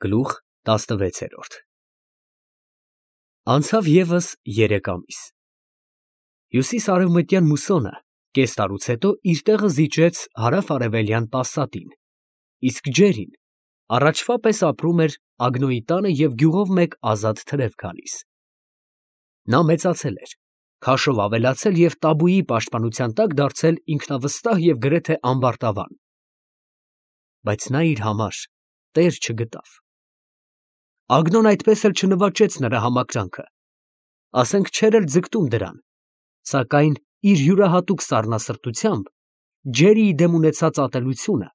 Գլուխ 16 Անցավ ևս 3 ամիս։ Հյուսիս֊արևմտյան մուսոնը կես տարուց հետո իր տեղը զիջեց հարավ֊արևելյան պասատին, իսկ ջերին առաջվա պես ապրում էր Ագնոյի տանը և գյուղով մեկ ազատ թրև գալիս։ Նա մեծացել էր, քաշով ավելացել և Տաբուի պաշտպանության տակ դարձել ինքնավստահ և գրեթե ամբարտավան։ Բայց նա իր համար տեր չգտավ։ Ագնոն այդպես էլ չնվաճեց նրա համակրանքը, ասենք չէր էլ ձգտում դրան, սակայն իր յուրահատուկ սառնասրտությամբ ջերիի դեմ ունեցած ատելությունը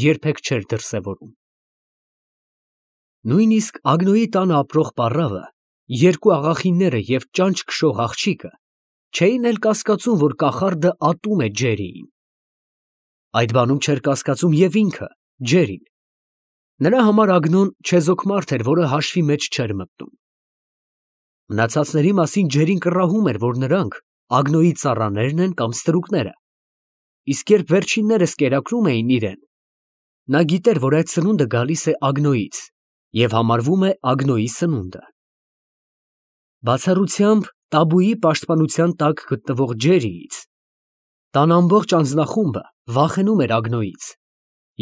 երբեք չէր դրսևորում։ Նույնիսկ Ագնոյի տանը ապրող պառավը, երկու աղախինները և ճանճ քշող աղջիկը չէին էլ կասկածում, որ կախարդը ատում է Ջերիին։ Այդ բանում չէր կասկածում և ինքը, Ջերին։ Նրա համար Ագնոն չեզոք մարդ էր, որը հաշվի մեջ չէր մտնում։ Մնացածների մասին Ջերին կռահում էր, որ նրանք Ագնոյի ծառաներն են կամ ստրուկները, իսկ երբ վերջիններս կերակրում էին իրեն, նա գիտեր, որ այդ սնունդը գալիս է Ագնոյից և համարվում է Ագնոյի սնունդը։ Բացառությամբ Տաբուի պաշտպանության տակ գտնվող Ջերիից, տան ամբողջ անձնախումբը վախենում էր Ագնոյից,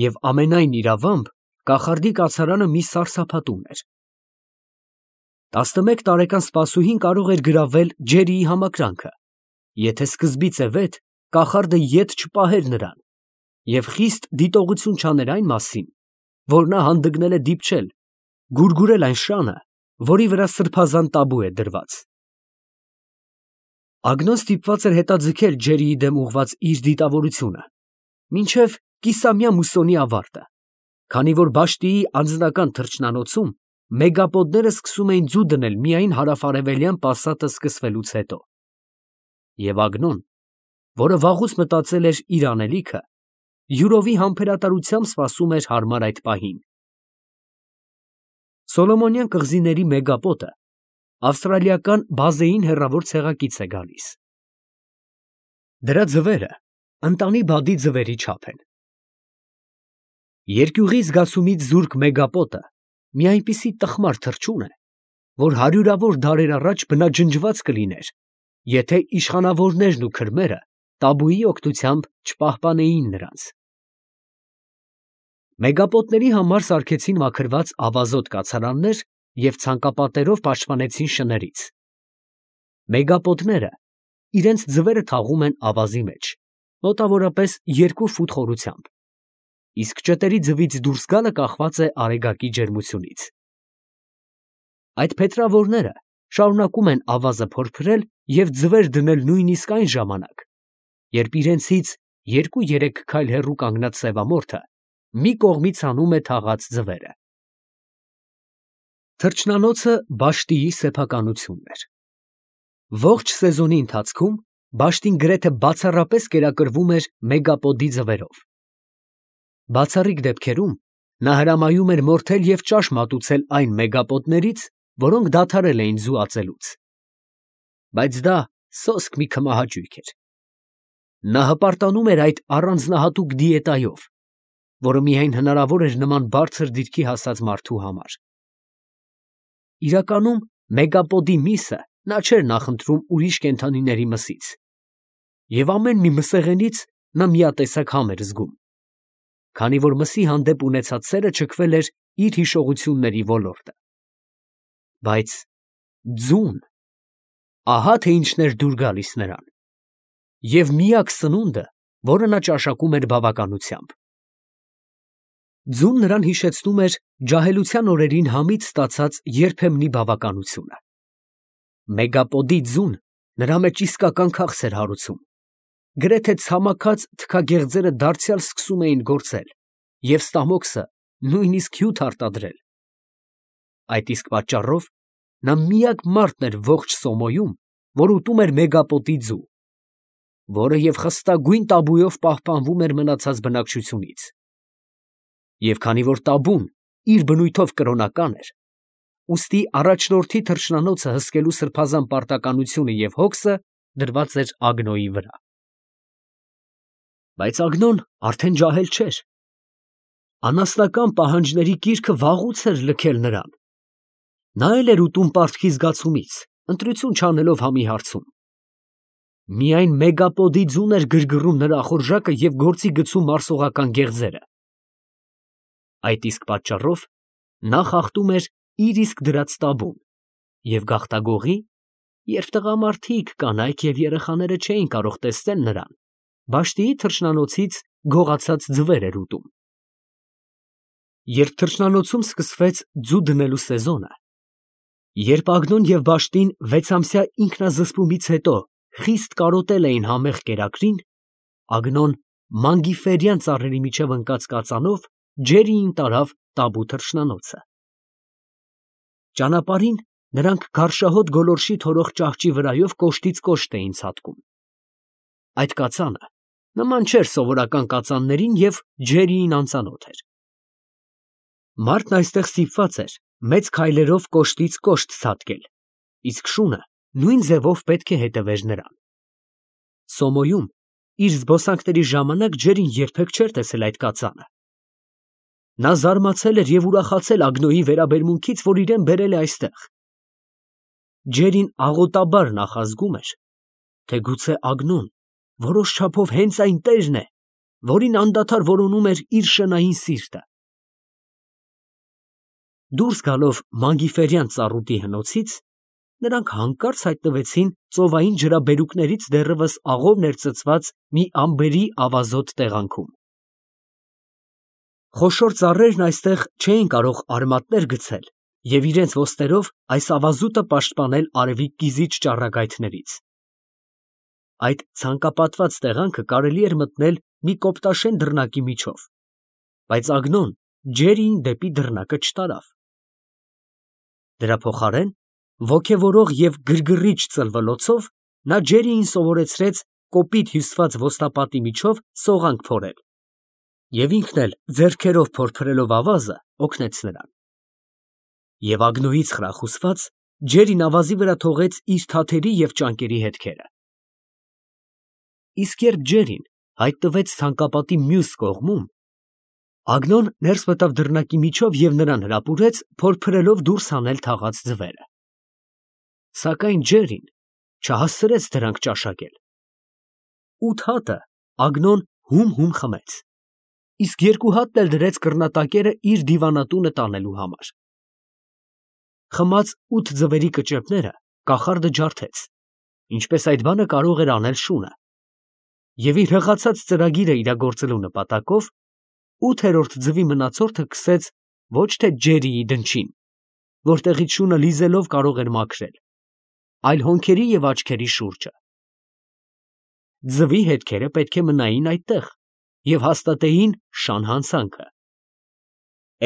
և ամենայն իրավամբ կախարդի կացարանը մի սարսափատուն էր։ 11 տարեկան սպասուհին կարող էր գրավել Ջերիի համակրանքը, եթե սկզբից է վեթ կախարդը ետ չպահեր նրան և խիստ դիտողություն չաներ այն մասին, որ նա հանդգնել է դիպչել, գուրգուրել այն շանը, որի վրա սրբազան տաբու է դրված։ Ագնոն ստիպված էր հետաձգել Ջերիի դեմ ուղղված իր դիտավորությունը մինչև կիսամյա մուսոնի ավարտը, քանի որ Բաշտիի անձնական թռչնանոցում մեգապոդները սկսում էին ձու դնել միայն հարավ֊արևելյան պասատը սկսվելուց հետո։ Եվ Ագնոն, որը վաղուց մտածել էր իր անելիքը, յուրովի համբերատարությամբ սպասում էր հարմար այդ պահին։ Սոլոմոնյան կղզիների մեգապոտը ավստրալիական բազեին հեռավոր ցեղակից է գալիս։ Դրա ձվերը ընտանի բադի ձվերի չափ են։ Երկյուղի զգացումից զուրկ մեգապոտը մի այնպիսի տխմար թռչուն է, որ հարյուրավոր դարեր առաջ բնաջնջված կլիներ, եթե իշխանավորներն ու քրմերը Տաբուի օգնությամբ չպահպանեին նրանց։ Մեգապոտների համար սարքեցին մաքրված ավազոտ կացարաններ և ցանկապատերով պաշտպանեցին շներից։ Մեգապոտները իրենց ձվերը թաղում են ավազի մեջ, մոտավորապես 2 ֆուտ խորությամբ, իսկ ճտերի ձվից դուրս գալը կախված է արեգակի ջերմությունից։ Այդ փետրավորները շարունակում են ավազը փորփրել և ձվեր դնել նույնիսկ այն ժամանակ, երբ իրենցից 2-3 քայլ հեռու կանգնած սևամորթը մի կողմից հանում է թաղած ձվերը։ Թռչնանոցը Բաշտիի սեփականությունն էր։ Ողջ սեզոնի ընթացքում Բաշտին գրեթե բացառապես կերակրվում էր մեգապոդի ձվերով։ Բացառիկ դեպքերում նա հրամայում էր մորթել և ճաշ մատուցել այն մեգապոտներից, որոնք դադարել էին ձու ածելուց։ Բայց դա սոսկ մի քմահաճույք էր։ Նա հպարտանում էր այդ առանձնահատուկ դիետայով, որը միայն հնարավոր էր նման բարձր դիրքի հասած մարդու համար։ Իրականում մեգապոդի միսը նա չէր նախընտրում ուրիշ կենդանիների մսից, և ամեն մի մսեղենից նա միատեսակ համ էր զգում, քանի որ մսի հանդեպ ունեցած սերը ճկվել էր իր հիշողությունների ոլորտը։ Բայց ձուն, ահա թե ինչն էր դուր գալիս նրան, և միակ սնունդը, որը նա ճաշակում էր բավականությամբ։ Ձուն նրան հիշեցնում էր ջահելության օրերին համից ստացած երբեմնի բավականությունը։ Մեգապոդի ձուն նրա մեջ իսկական քաղց էր հարուցում, գրեթե ցամաքած թքագեղձերը դարձյալ սկսում էին գործել և ստամոքսը նույնիսկ հյութ արտադրել։ Այդ իսկ պատճառով նա միակ մարդն էր ողջ Սոմոյում, որ ուտում էր մեգապոտի ձու, որը և խստագույն տաբուով պահպանվում էր մնացած բնակչությունից։ Եվ քանի որ տաբուն իր բնույթով կրոնական էր, ուստի առաջնորդի թռչնանոցը հսկելու սրբազան պարտականությունը և հոգսը դրված էր Ագնոյի վրա։ Բայց Ագնոն արդեն ջահել չէր։ Անասնական պահանջների կիրքը վաղուց էր լքել նրան։ Նա էլ էր ուտում պարտքի զգացումից, ընտրություն չանելով համի հարցում։ Միայն մեգապոդի ձուն էր գրգռում նրա ախորժակը և գործի գցում մարսողական գեղձերը։ Այդ իսկ պատճառով նա խախտում էր իր իսկ դրած տաբուն և գաղտագողի, երբ տղամարդիկ, կանայք և երեխաները չէին կարող տեսնել նրան, բաշտիի թռչնանոցից գողացած ձվեր էր ուտում։ Երբ թռչնանոցում սկսվեց ձու դնելու սեզոնը, երբ Ագնոն և Բաշտին 6-ամսյա ինքնազսպումից հետո խիստ կարոտել էին համեղ կերակրին, Ագնոն մանգիֆերյան ծառերի միջև ընկած կածանով ջերիին տարավ տաբու թռչնանոցը։ Ճանապարհին նրանք գարշահոտ գոլորշի թորող ճահճի վրայով կոշտից կոշտ էին ցատկում։ Այդ կածանը նման չէր սովորական կածաններին և ջերիին անծանոթ էր։ Մարդն այստեղ ստիպված էր մեծ քայլերով կոշտից կոշտ ցատկել, իսկ շունը նույն ձևով պետք է հետևեր նրան։ Սոմոյում իր զբոսանքների ժամանակ ջերին երբեք չէր տեսել այդ կածանը։ Նա զարմացել էր և ուրախացել Ագնոյի վերաբերմունքից, որ իրան բերել է այստեղ։ Ջերին աղոտաբար նախազգում էր, թե գուցե Ագնոն որոշ չափով հենց այն տերն է, որին անդադար որոնում էր իր շնային սիրտը։ Դուրս գալով մանգիֆերյան ծառուտի հնոցից, նրանք հանկարծ հայտնվեցին ծովային ջրաբերուկներից դեռևս աղով ներծծված մի ամբերի ավազոտ տեղանքում։ Խոշոր ծառերն այստեղ չէին կարող արմատներ գցել և իրենց ոսկերով այս ավազուտը պաշտպանել արևի կիզիչ ճառագայթներից։ Այդ ցանկապատված տեղանքը կարելի էր մտնել մի կոպտաշեն դռնակի միջով, բայց Ագնոն ջերիին դեպի դռնակը չտարավ։ Դրա փոխարեն ոգևորող և գրգռիչ ծլվլոցով նա ջերիին սովորեցրեց կոպիտ հյուսված ոստապատի միջով սողանք փորել, և ինքն էլ ձեռքերով փորփրելով ավազը օգնեց նրան։ Եվ Ագնոյից խրախուսված ջերին ավազի վրա թողեց իր թաթերի և ճանկերի հետքերը։ Իսկ երբ ջերին հայտնվեց ցանկապատի մյուս կողմում, Ագնոն ներս մտավ դռնակի միջով և նրան հրապուրեց փորփրելով դուրս հանել թաղած ձվերը։ Սակայն ջերին չհասցրեց դրանք ճաշակել։ 8 հատը Ագնոն հում խմեց, իսկ 2 հատն էլ դրեց կռնատակերը իր դիվանատունը տանելու համար։ Խմած 8 ձվերի կճեպները կախարդը ջարդեց, ինչպես այդ բանը կարող էր անել շունը, և իր հղացած ծրագիրը իրագործելու նպատակով 8-րդ ձվի մնացորդը քսեց ոչ թե ջերիի դնչին, որտեղից շունը լիզելով կարող էր մաքրել, այլ հոնքերի և աչքերի շուրջը։ Ձվի հետքերը պետք է մնային այդտեղ և հաստատեին շան հանցանքը։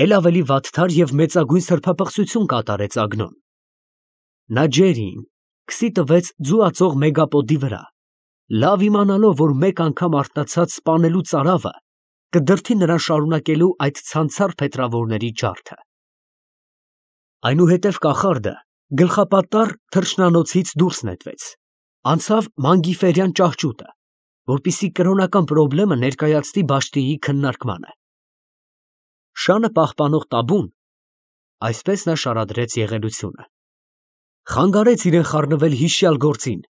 Էլ ավելի վատթար և մեծագույն սրբապղծություն կատարեց Ագնոն։ Նա ջերիին քսի տվեց ձու ածող մեգապոդի վրա, լավ իմանալով, որ մեկ անգամ արթնացած սպանելու ծարավը կդրդի նրան շարունակելու այդ ցանցառ փետրավորների ջարդը։ Այնուհետև կախարդը գլխապատառ թռչնանոցից դուրս նետվեց, անցավ մանգիֆերյան ճահճուտը, որպեսզի կրոնական պրոբլեմը ներկայացնի Բաշտիի քննարկմանը։ Շանը պահպանող տաբուն, այսպես նա շարադրեց եղելությունը, խանգարեց իրեն խառնվել հիշյալ գործին,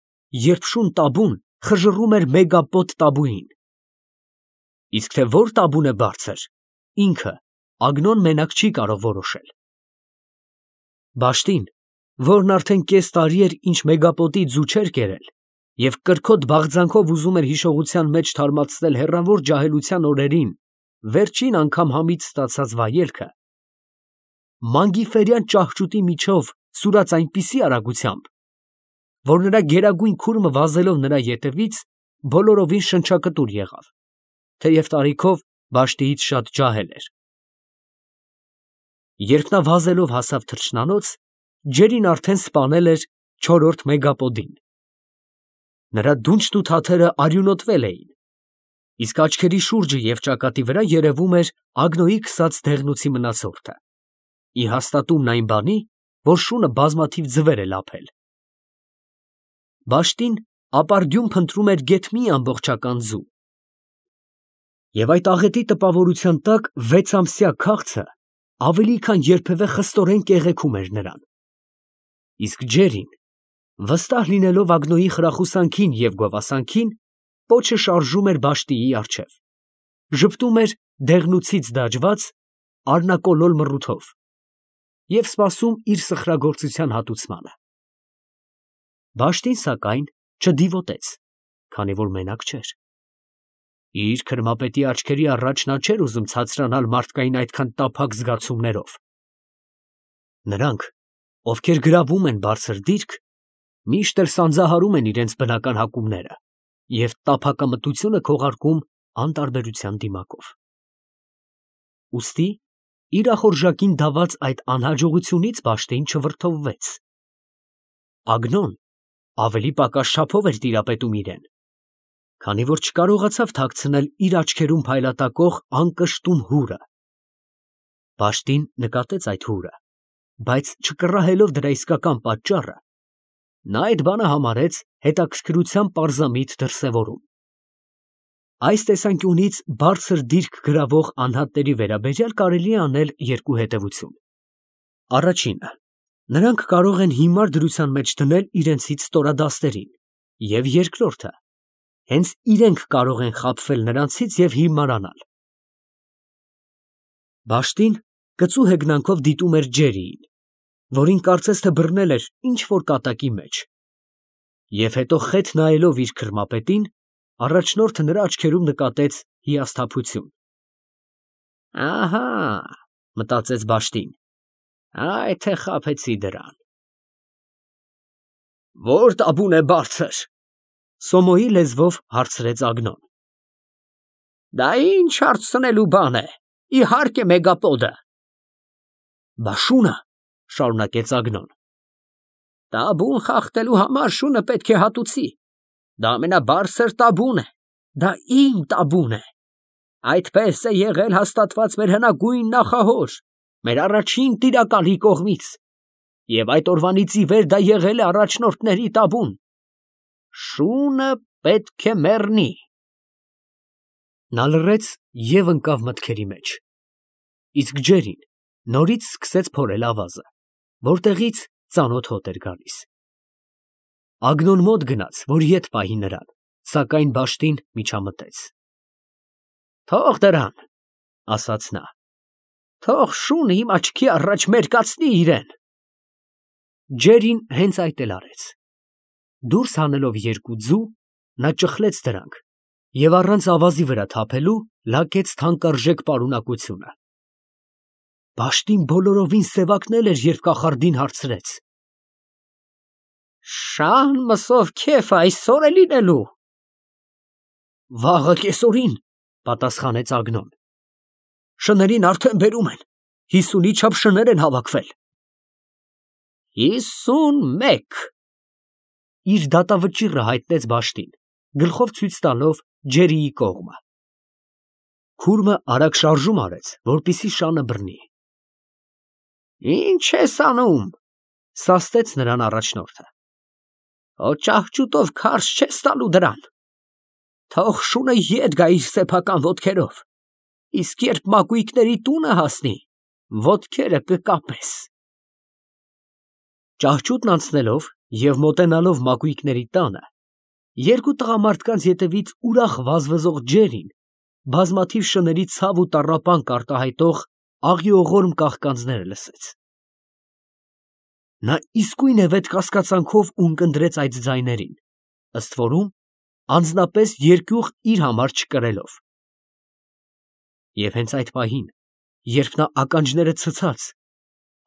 երբ շուն տաբուն խժռում էր մեգապոդ տաբուին։ Իսկ թե որ տաբուն է բարձր, ինքը Ագնոն մենակ չի կարող որոշել։ Բաշտին, որն արդեն կես տարի էր ինչ մեգապոտի ձու չէր կերել և կրքոտ բաղձանքով ուզում էր հիշողության մեջ թարմացնել հեռավոր ջահելության օրերին վերջին անգամ համից ստացած վայելքը, մանգիֆերյան ճահճուտի միջով սուրաց այնպիսի արագությամբ, որ նրա գերագույն քուրմը վազելով նրա ետևից բոլորովին շնչակտուր եղավ, թեև տարիքով Բաշտիից շատ ջահել էր։ Երբ նա վազելով հասավ թռչնանոց, ջերին արդեն սպանել էր 4-րդ մեգապոդին։ Նրա դունչն ու թաթերը արյունոտվել էին, իսկ աչքերի շուրջը և ճակատի վրա երևում էր Ագնոյի քսած դեղնուցի մնացորդը, ի հաստատումն այն բանի, որ շունը բազմաթիվ ձվեր է լափել։ Բաշտին ապարդյուն փնտրում էր գեթ մի ամբողջական ձու։ Եվ այդ աղետի տպավորության տակ 6-ամսյա քաղցը ավելի քան երբևէ խստորեն կեղեքում էր նրան։ Իսկ Ջերին, վստահ լինելով Ագնոյի խրախուսանքին և գովասանքին, պոչը շարժում էր բաշտիի առջև, ժպտում էր դեղնուցից դաջված առնակոլոլ մռութով և սպասում իր սխրագործության հատուցմանը։ Բաշտին, սակայն, չդիվոտեց, քանի որ մենակ չէր։ Իր քրմապետի աչքերի առաջ նա չէր ուզում ցածրանալ մարդկային այդքան տափակ զգացումներով։ Նրանք, ովքեր գրավում են բարձր դիրք, միշտ էլ սանձահարում են իրենց բնական հակումները և տափակամտությունը քողարկում անտարբերության դիմակով։ Ուստի իր ախորժակին դաված այդ անհաջողությունից Բաշտին չվրդովվեց։ Ագնոն ավելի պակաս չափով էր տիրապետում իրեն, քանի որ չկարողացավ թաքցնել իր աչքերում փայլատակող անկշտում հուրը։ Բաշտին նկատեց այդ հուրը, բայց չկռահելով դրա իսկական պատճառը, նա այդ բանը համարեց հետաքրքրության պարզամիտ դրսևորում։ Այս տեսանկյունից բարձր դիրք գրավող անհատների վերաբերյալ կարելի է անել երկու հետևություն. Առաջինը, նրանք կարող են հիմար դրության մեջ դնել իրենցից ստորադաստերին, և երկրորդը, հենց իրենք կարող են խաբվել նրանցից և հիմարանալ։ Բաշտին կծու հեգնանքով դիտում էր Ջերիին, որին կարծես թե բռնել էր ինչ֊որ կատակի մեջ, և հետո խեթ նայելով իր քրմապետին, առաջնորդը նրա աչքերում նկատեց հիասթափություն։ «Ահա, ֊ մտածեց Բաշտին, ֊ այ թե խաբեցի դրան»։ «Ո՞ր տաբուն է բարձր, ֊ Սոմոյի լեզվով հարցրեց Ագնոն։ ֊ Դա ինչ հարցնելու բան է, իհարկե Մեգապոդը։ ֊ Բա շունը, ֊ շարունակեց Ագնոն։ ֊ Տաբուն խախտելու համար շունը պետք է հատուցի, դա ամենաբարձր տաբուն է, դա իմ տաբուն է, այդպես է եղել հաստատված մեր հնագույն նախահոր, մեր առաջին տիրակալի կողմից, և այդ օրվանից ի վեր դա եղել է առաջնորդների տաբուն, շունը պետք է մեռնի։ Նա լռեց և ընկավ մտքերի մեջ, իսկ Ջերին նորից սկսեց փորել ավազը, որտեղից ծանոթ հոտ էր գալիս։ Ագնոն մոտ գնաց, որ ետ պահի նրան, սակայն Բաշտին միջամտեց։ «Թող դրան, ֊ ասաց նա, ֊ թող շունը իմ աչքի առաջ մերկացնի իրեն»։ Ջերին հենց այդ էլ արեց։ Դուրս հանելով երկու ձու, նա ճխլեց դրանք և առանց ավազի վրա թափելու լակեց թանկարժեք պարունակությունը։ Բաշտին բոլորովին սևակնել էր, երբ կախարդին հարցրեց. «Շան մսով քեֆ այսօր է լինելու»։ «Վաղը կեսօրին, ֊ պատասխանեց Ագնոն, ֊ շներին արդեն բերում են, 50-ի չափ շներ են հավաքվել»։ 51 իր դատավճիռը հայտնեց Բաշտին, գլխով ցույց տալով Ջերիի կողմը։ Քուրմը արագ շարժում արեց, որպեսզի շանը բռնի։ «Ի՞նչ ես անում, ֊ սաստեց նրան առաջնորդը, ֊ քո ճահճուտով քարշ չես տալու դրան, թող շունը ետ գա իր սեփական ոտքերով, իսկ երբ մակույկների տունը հասնի, ոտքերը կկապես»։ Ճահճուտն անցնելով և մոտենալով մակույկների տանը, երկու տղամարդկանց ետևից ուրախ վազվզող Ջերին բազմաթիվ շների ցավ ու տառապանք արտահայտող աղիողորմ կաղկանձները լսեց։ Նա իսկույն է վետ կասկածանքով ունկնդրեց այդ ձայներին, ըստ որում, անձնապես երկյուղ իր համար չկրելով։ Եվ հենց այդ պահին, երբ նա ականջները ցցած,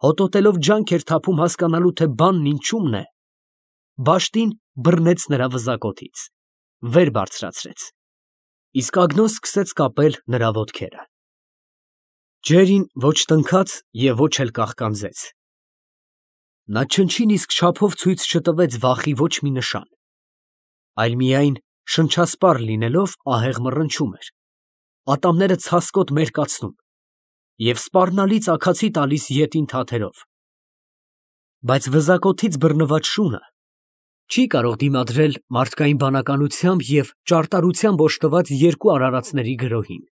հոտոտելով ջանք էր թափում հասկանալու, թե բանն ինչումն է, Բաշտին բռնեց նրա վզակոթից, վեր բարձրացրեց, իսկ Ագնոն սկսեց կապել նրա ոտքերը։ Ջերին ոչ տնքաց և ոչ էլ կաղկանձեց։ Նա չնչին իսկ չափով ցույց չտվեց վախի ոչ մի նշան, այլ միայն շնչասպառ լինելով ահեղ մռնչում էր, ատամները ցասկոտ մերկացնում և սպառնալից աքացի տալիս ետին թաթերով։ Բայց վզակոթից բռնված շունը չի կարող դիմադրել մարդկային բանականությամբ և ճարտարությամբ օժտված երկու արարածների գրոհին։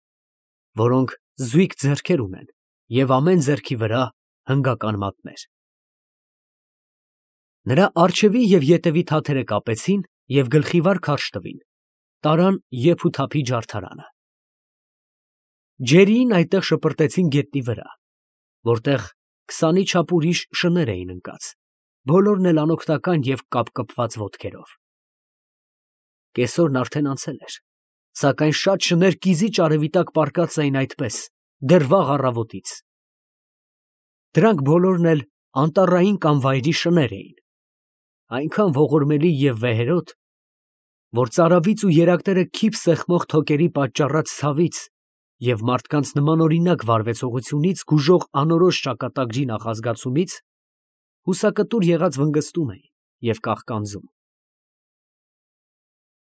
որոնք զույգ ձեռքեր ունեն և ամեն ձեռքի վրա հնգական մատներ։ Նրա առջևի և ետևի թաթերը կապեցին և գլխիվար քարշ տվին, տարան եփ ու թափի ջարդարանը։ Ջերիին այդտեղ շպրտեցին գետնի վրա, որտեղ քսանի չափ ուրիշ շներ էին ընկած, բոլորն էլ անօգնական և կապկպված ոտքերով։ Կեսօրն արդեն անցել էր, սակայն շատ շներ կիզիչ արևի տակ պառկած էին այդպես, դեռ վաղ առավոտից։ Դրանք բոլորն էլ անտառային կամ վայրի շներ էին, այնքան ողորմելի և վեհերաս, որ ծարավից ու երակները քիփ սեղմող թոկերի պատճառած ցավից և մարդկանց նմանօրինակ վարվեցողությունից գուժող անորոշ ճակատագրի նախազգացումից հուսակտուր եղած վնգստում էին և կաղկանձում։